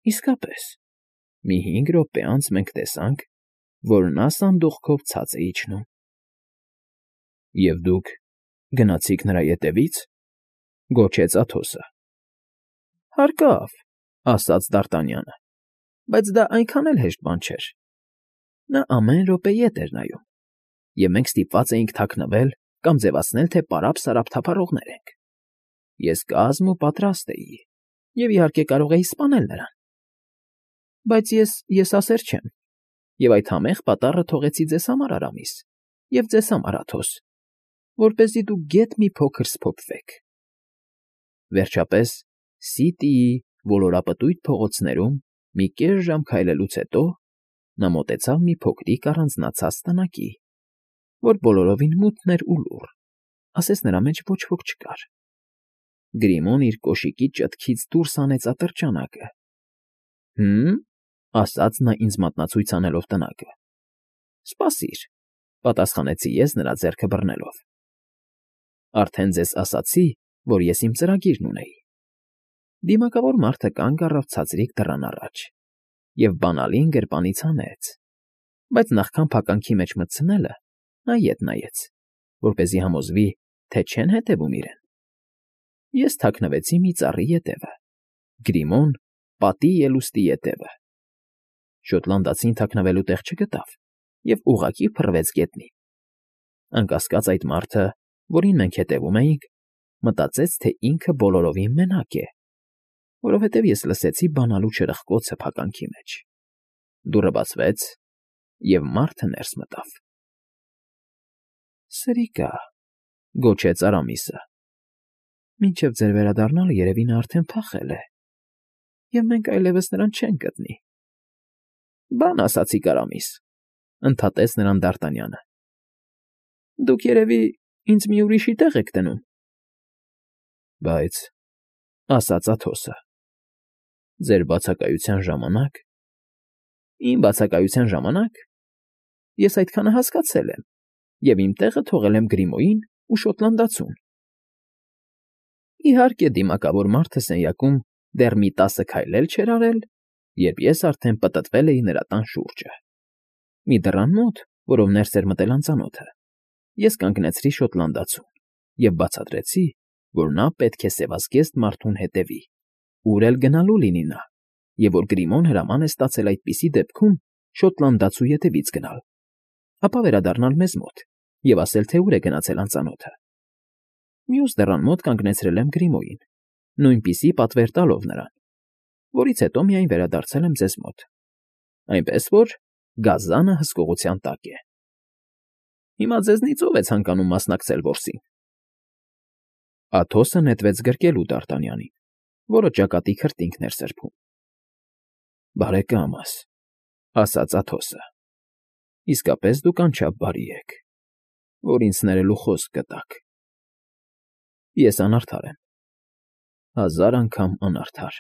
Իսկապես, մի 5 րոպե անց մենք տեսանք, որ նա սանդուղքով ցած է իջնում։ ֊ Եվ դուք գնացիք նրա ետևի՞ց,֊ գոչեց Աթոսը։ ֊ Հարկավ,֊ ասաց Դարտանյանը,֊ բայց դա այնքան էլ հեշտ բան չէր։ Նա ամեն րոպե ետ էր նայում, և մենք ստիպված էինք թաքնվել կամ ձևացնել, թե պարապ֊սարապ թափառողներ ենք։ Ես կազմ ու պատրաստ էի, և, իհարկե, կարող էի սպանել նրան։ Բայց ես ասեր չեմ, և այդ համեղ պատառը թողեցի ձեզ համար, Արամիս, և ձեզ համար, Աթոս, որպեսզի դուք գեթ մի փոքր սփոփվեք։ Վերջապես, Սիտիի ոլորապտույտ փողոցներում մի կես ժամ քայլելուց հետո նա մոտեցավ մի փոքրիկ առանձնացած տնակի, որ բոլորովին մութն էր ու լուռ, ասես նրա մեջ ոչ ոք չկար։ Գրիմոն իր կոշիկի ճտքից դուրս հանեց ատրճանակը։ «Հը՞մ,֊ ասաց նա ինձ մատնացույց անելով տնակը։ Սպասիր,֊ պատասխանեցի ես նրա ձեռքը բռնելով։ Արդեն ձեզ ասացի, որ ես իմ ծրագիրն ունեի։ Դիմակավոր մարդը կանգ առավ ցածրիկ դռան առաջ և բանալին գրպանից հանեց, բայց նախքան փականքի մեջ մտցնելը, նա ետ նայեց, որպեսզի համոզվի, թե չեն հետևում իրեն։ Ես թաքնվեցի մի ծառի ետևը, Գրիմոն՝ պատի ելուստի ետևը։ Շոտլանդացին թաքնվելու տեղ չգտավ և ուղղակի փռվեց գետնին։ Անկասկած այդ մարդը, որին մենք հետևում էինք, մտածեց, թե ինքը բոլորովին մենակ է, որովհետև ես լսեցի բանալու չրպկոցը փականքի մեջ։ Դուռը բացվեց, և մարդը ներս մտավ։ ֊ Սրիկա,֊ գոչեց Արամիսը,֊ մինչև ձեր վերադառնալը երևի նա արդեն փախել է, և մենք այլևս նրան չենք գտնի։ ֊ Բան ասացիք, Արամիս,֊ ընդհատեց նրան Դարտանյանը։֊ Դուք, երևի, ինձ մի ուրիշի տեղ եք դնում։ ֊ Բայց,֊ ասաց Աթոսը,֊ ձեր բացակայության ժամանակ… ֊ Իմ բացակայության ժամանակ… Ես այդքանը հասկացել եմ և իմ տեղը թողել եմ Գրիմոյին ու շոտլանդացուն։ Իհարկե, դիմակավոր մարդը սենյակում դեռ մի 10 քայլ էլ չէր արել, երբ ես արդեն պտտվել էի նրա տան շուրջը։ Մի դռան մոտ, որով ներս էր մտել անծանոթը, ես կանգնեցրի շոտլանդացուն և բացատրեցի, որ նա պետք է սևազգեստ մարդուն հետևի, ուր էլ գնալու լինի նա, և որ Գրիմոն հրաման է ստացել այդպիսի դեպքում շոտլանդացու ետևից գնալ, ապա վերադառնալ մեզ մոտ և ասել, թե ուր է գնացել անծանոթը։ Մյուս դռան մոտ կանգնեցրել եմ Գրիմոյին, նույնպիսի պատվեր տալով նրան, որից հետո միայն վերադարձել եմ ձեզ մոտ, այնպես որ գազանը հսկողության տակ է։ Հիմա ձեզնից ո՞վ է ցանկանում մասնակցել որսին։ Աթոսը նետվեց գրկելու Դարտանյանին, որը ճակատի քրտինքն էր սրբում։ ֊ Բարեկամս,֊ ասաց Աթոսը,֊ իսկապես դուք անչափ բարի եք, որ ինձ ներելու խոսք գտաք։ Ես անարդար եմ, 1000 անգամ անարդար։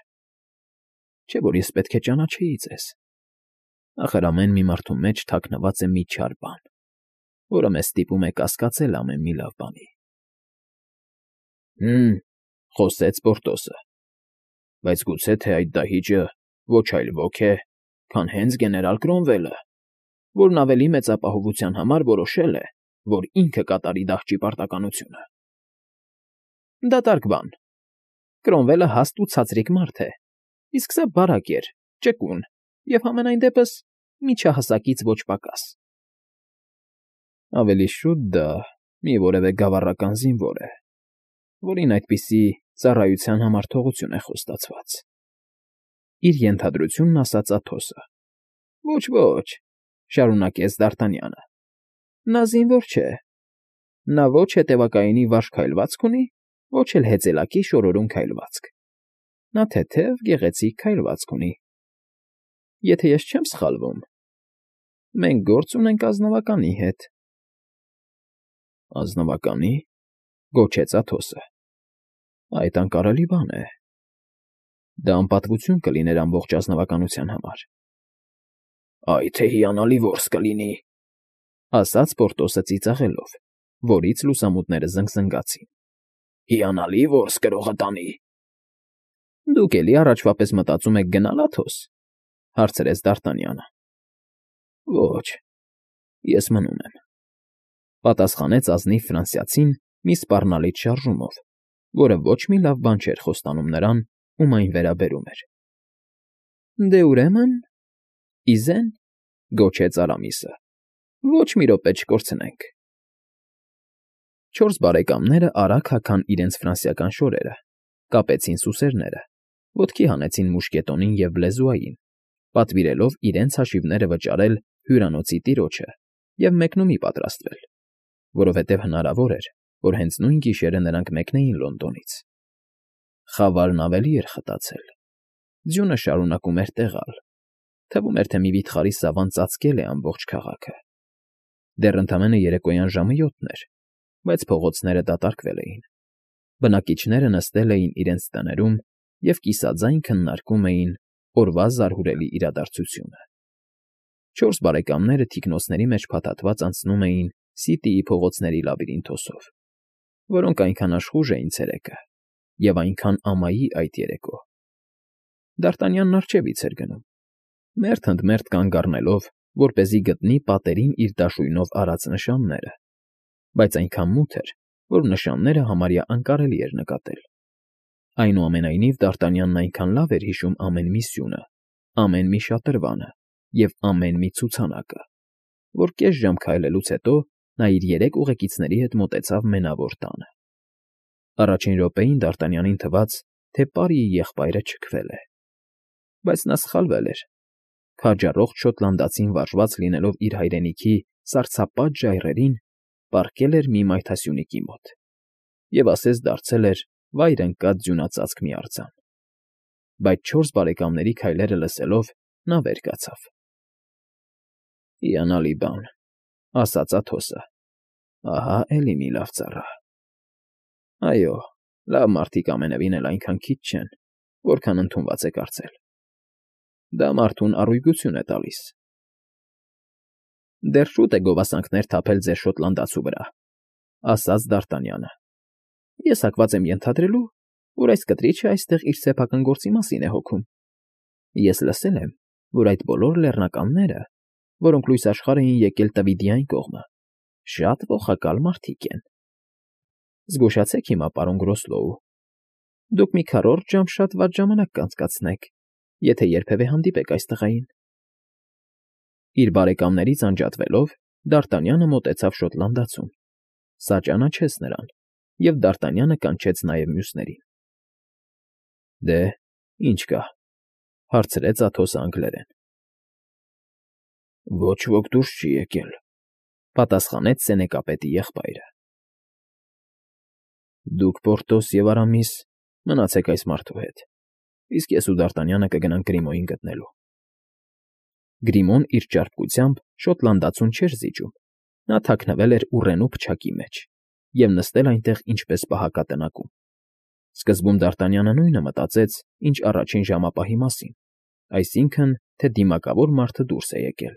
Չէ՞ որ ես պետք է ճանաչեի ձեզ։ Ախր ամեն մի մարդու մեջ թաքնված է մի չար բան, որը մեզ ստիպում է կասկածել ամեն մի լավ բանի։ ֊ Հը՛մ,֊ խոսեց Պորտոսը,֊ բայց գուցե թե այդ դահիճը ոչ այլ ոք է, քան հենց գեներալ Կրոմվելը, որն ավելի մեծ ապահովության համար որոշել է, որ ինքը կատարի դահճի պարտականությունը։ ֊ Դատարկ բան։ Կրոմվելը հաստ ու ցածրիկ մարդ է, իսկ սա բարակ էր, ճկուն և, համենայն դեպս, միջահասակից ոչ պակաս։ Ավելի շուտ դա մի որևէ գավառական զինվոր է, որին այդպիսի ծառայության համար թողություն է խոստացված,֊ իր ենթադրությունն ասաց Աթոսը։ ֊ Ոչ,֊ շարունակեց Դարտանյանը,֊ նա զինվոր չէ։ Նա ոչ հետևակայինի վարժ քայլվածք ունի, ոչ էլ հեծելակի շորորուն քայլվածք։ Նա թեթև, գեղեցիկ քայլվածք ունի։ Եթե ես չեմ սխալվում, մենք գործ ունենք ազնվականի հետ։ ֊ Ազնվականի՞,֊ գոչեց Աթոսը։ ֊ Այդ անկարելի բան է։ Դա անպատվություն կլիներ ամբողջ ազնվականության համար։ ֊ Այ թե հիանալի որս կլինի,֊ ասաց Պորտոսը ծիծաղելով, որից լուսամուտները զնգզնգացին,֊ հիանալի որս կրողը տանի։ Դուք էլի առաջվա պես մտածում եք գնալ Աթոս,֊ հարցրեց Դ'Արտանյանը։ Ոչ, ես մնում եմ,֊ պատասխանեց ազնիվ ֆրանսիացին մի սպառնալից շարժումով, որը ոչ մի լավ բան չէր խոստանում նրան, ում այն վերաբերում էր։ Դե ուրեմն, իզեն,֊ գոչեց Արամիսը,֊ ոչ մի րոպե չկորցնենք։ Չորս բարեկամները արագ հագան իրենց ֆրանսիական շորերը, կապեցին սուսերները, ոտքի հանեցին մուշկետոնին և բլեզուային, պատվիրելով իրենց հաշիվները վճարել հյուրանոցի տիրոջը և մեկնումի պատրաստվել, որովհետև հնարավոր էր, որ հենց նույն գիշերը նրանք մեկնեին Լոնդոնից։ Խավարն ավելի էր խտացել։ Ձյունը շարունակում էր տեղալ։ Թվում էր, թե մի վիթխարի սավան ծածկել է ամբողջ քաղաքը։ Դեռ ընդամենը երեկոյան ժամը 7-ն էր, բայց փողոցները դատարկվել էին։ Բնակիչները նստել էին իրենց տներում և կիսաձայն քննարկում էին օրվա զարհուրելի իրադարձությունը։ Չորս բարեկամները թիկնոցների մեջ փաթաթված անցնում էին Սիթիի փողոցների լաբիրինթոսով, որոնք այնքան աշխուժ էին ցերեկը և այնքան ամայի այդ երեկո։ Դ'Արտանյանն առջևից էր գնում, մերթ ընդ մերթ կանգ առնելով, որպեսզի գտնի պատերին իր դաշույնով արած նշանները, բայց այնքան մութ էր, որ նշանները համարյա անկարելի էր նկատել։ Այնուամենայնիվ Դ'Արտանյանն այնքան լավ էր հիշում ամեն մի սյունը, ամեն մի շատրվանը և ամեն մի ցուցանակը, որ կես ժամ քայլելուց հետո նա իր երեք ուղեկիցների հետ մոտեցավ Մենավոր տանը։ Առաջին րոպեին Դ'Արտանյանին թվաց, թե պարիի եղբայրը չքվել է։ Բայց նա սխալվել էր։ Քաջառողջ շոտլանդացին վարժված լինելով իր հայրենիքի սառցապատ ժայռերին, պառկել էր մի մայթասյունիկի մոտ և ասես դարձել էր վայր ընկած ձյունածածկ մի արձան։ Բայց չորս բարեկամների քայլերը լսելով նա վեր կացավ։ «Հիանալի բան,֊ ասաց Աթոսը,֊ ահա էլի մի լավ ծառա։ Այո, լավ մարդիկ ամենևին էլ այնքան քիչ չեն, որքան ընդունված է կարծել։ Դա մարդուն առույգություն է տալիս»։ Դեռ շուտ է գովասանքներ թափել ձեր շոտլանդացու վրա,֊ ասաց Դ'Արտանյանը։ Ես հակված եմ ենթադրելու, որ այս կտրիչը այստեղ իր սեփական գործի մասին է հոգում։ Ես լսել եմ, որ այդ բոլոր լեռնականները, որոնք լույս աշխարհ էին եկել Տվիդի այն կողմը, շատ ոխակալ մարդիկ են։ Զգուշացեք հիմա, պարոն Գրոսլոու, դուք մի քառորդ ժամ շատ վատ ժամանակ կանցկացնեք, եթե երբևէ հանդիպեք այս տղային։ Իր բարեկամներից անջատվելով՝ Դ'Արտանյանը մոտեցավ շոտլանդացուն։ Սա ճանաչեց նրան, և Դ'Արտանյանը կանչեց նաև մյուսներին։ Դե, ի՞նչ կա,֊ հարցրեց Աթոսը անգլերեն։ Ոչ ոք դուրս չի եկել,֊ պատասխանեց սենեկապետի եղբայրը։ Դուք, Պորտոս և Արամիս, մնացեք այս մարդու հետ, իսկ ես ու Դ'Արտանյանը կգնանք Գրիմոյին գտնելու։ Գրիմոն իր ճարպկությամբ շոտլանդացուն չէր զիջում։ Նա թաքնվել էր ուռենու փչակի մեջ և նստել այնտեղ ինչպես պահակատնակում։ Սկզբում Դ'Արտանյանը նույնը մտածեց, ինչ առաջին ժամապահի մասին, այսինքն, թե դիմակավոր մարդը դուրս է եկել,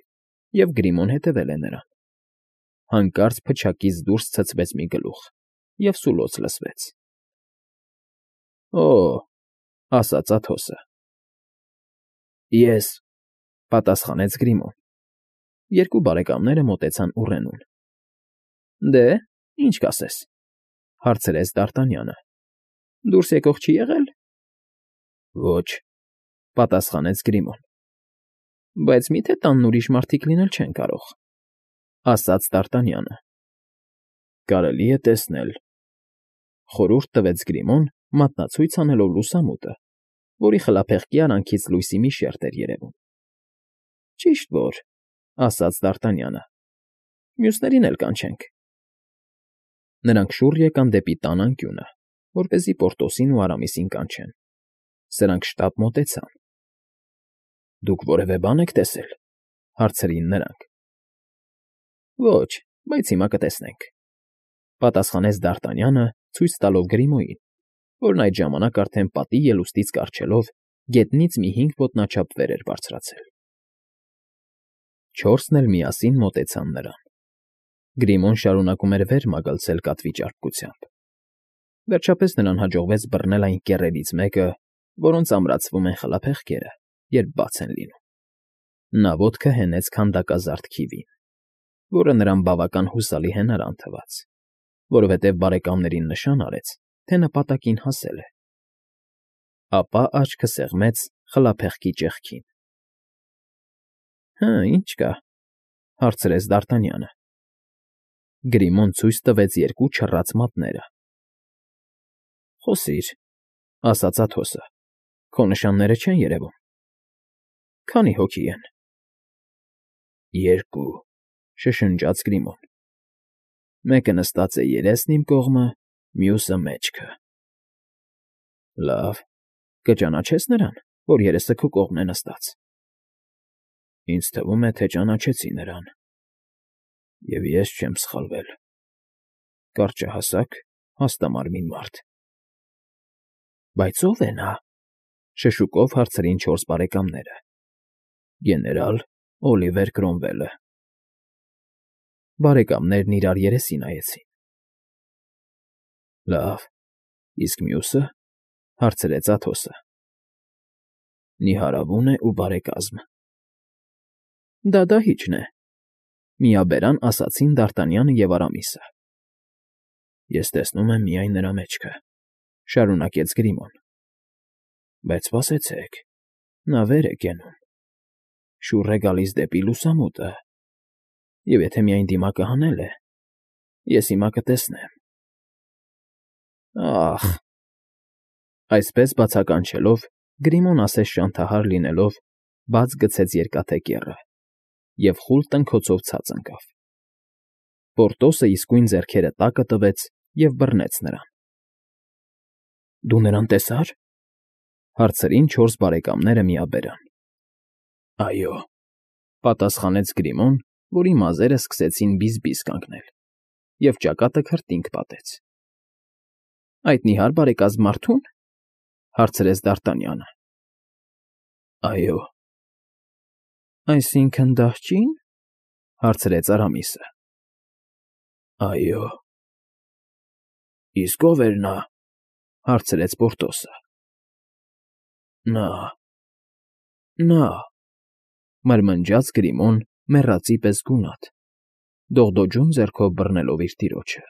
և Գրիմոն հետևել է նրան։ Հանկարծ փչակից դուրս ցցվեց մի գլուխ, և սուլոց լսվեց։ Օ՜, ասաց Աթոսը։ Ես,֊ պատասխանեց Գրիմոն։ Երկու բարեկամները մոտեցան ուռենուն։ Դե, ի՞նչ կասես,֊ հարցրեց Դ'Արտանյանը։ Դուրս եկող չի եղել։ Ոչ,֊ պատասխանեց Գրիմոն։ Բայց մի՞թե տանն ուրիշ մարդիկ լինել չեն կարող,֊ ասաց Դ'Արտանյանը։ Կարելի է տեսնել,֊ խորհուրդ տվեց Գրիմոն, մատնացույց անելով լուսամուտը, որի խլափեղկի արանքից լույսի մի շերջ էր երևում։ Ճիշտ որ,֊ ասաց Դ'Արտանյանը։ Մյուսներին էլ կանչենք։ Նրանք շուռ եկան դեպի տան անկյունը, որպեսզի Պորտոսին ու Արամիսին կանչեն։ Սրանք շտապ մոտեցան։ Դուք որևէ բան եք տեսել,֊ հարցրին նրանք։ Ոչ, բայց հիմա կտեսնենք,֊ պատասխանեց Դ'Արտանյանը, ցույց տալով Գրիմոյին, որն այդ ժամանակ արդեն պատի ելուստից կառչելով գետնից մի 5 ոտնաչափ վեր էր բարձրացել։ Չորսն էլ միասին մոտեցան նրան։ Գրիմոն շարունակում էր վեր մագլցել կատվի ճարպկությամբ։ Վերջապես նրան հաջողվեց բռնել այն կեռերից մեկը, որոնց ամրացվում են խլափեղկերը, երբ բաց են լինում։ Նա ոտքը հենեց քանդակազարդ քիվին, որը նրան բավական հուսալի հենարան թվաց, որովհետև բարեկամներին նշան արեց, թե նպատակին հասել է։ Ապա աչքը սեղմեց խլափեղկի ճեղքին։ Հը, ինչ կա,֊ հարցրեց Դ'Արտանյանը։ Գրիմոն ցույց տվեց երկու չռած մատները։ Խոսիր,֊ ասաց Աթոսը,֊ քո նշանները չեն երևում։ Քանի՞ հոգի են։ Երկու,֊ շշնջաց Գրիմոն։ Մեկը նստած է երեսն իմ կողմը, մյուսը՝ մեջքը։ Լավ, կճանաչե՞ս նրան, որ երեսը քո կողմն է նստած։ Ինձ թվում է, թե ճանաչեցի նրան։ Եվ ես չեմ սխալվել։ Կարճահասակ, հաստամարմին մարդ։ Բայց ո՞վ է նա,֊ շշուկով հարցրին չորս բարեկամները։ Գեներալ Օլիվեր Քրոմվելը։ Բարեկամներն իրար երեսի նայեցին։ Լավ, իսկ մյուսը,֊ հարցրեց Աթոսը։ Նիհարավուն է ու բարեկազմ։ Դա դահիճն է,֊ միաբերան ասացին Դ'Արտանյանը և Արամիսը։ Ես տեսնում եմ միայն նրա մեջքը,֊ շարունակեց Գրիմոն։ Բայց սպասեցեք, նա վեր է կենում, շուռ է գալիս դեպի լուսամուտը, և եթե միայն դիմակը հանել է, ես հիմա կտեսնեմ։ Ա՜խ… Այսպես բացականչելով, Գրիմոն ասես շանթահար լինելով, բաց գցեց երկաթե կեռը և խուլ տնքոցով ցած ընկավ։ Պորտոսը իսկույն ձեռքերը տակը տվեց և բռնեց նրան։ Դու նրան տեսա՞ր,֊ հարցրին չորս բարեկամները միաբերան։ Այո,֊ պատասխանեց Գրիմոն, որի մազերը սկսեցին բիզ֊բիզ կանգնել, և ճակատը քրտինք պատեց։ Այդ նիհար բարեկազմ մարդո՞ւն,֊ հարցրեց Դ'Արտանյանը։ Այո։ Այսինքն՝ դահճի՞ն,֊ հարցրեց Արամիսը։ Այո։ Իսկ ո՞վ էր նա,֊ հարցրեց Պորտոսը։ Նա,֊ մրմնջաց Գրիմոն մեռածի պես գունատ, դողդոջուն ձեռքով բռնելով իր տիրոջը։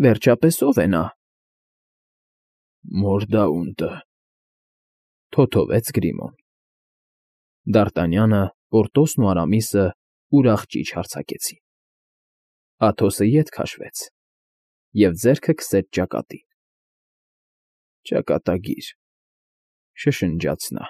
Վերջապես ո՞վ է նա։ Մորդաունտը,֊ թոթովեց Գրիմոն։ Դ'Արտանյանը, Պորտոսն ու Արամիսը ուրախ ճիչ հարձակեցին։ Աթոսը ետ քաշվեց և ձեռքը քսեց ճակատին։ Ճակատագիր,֊ շշնջաց նա։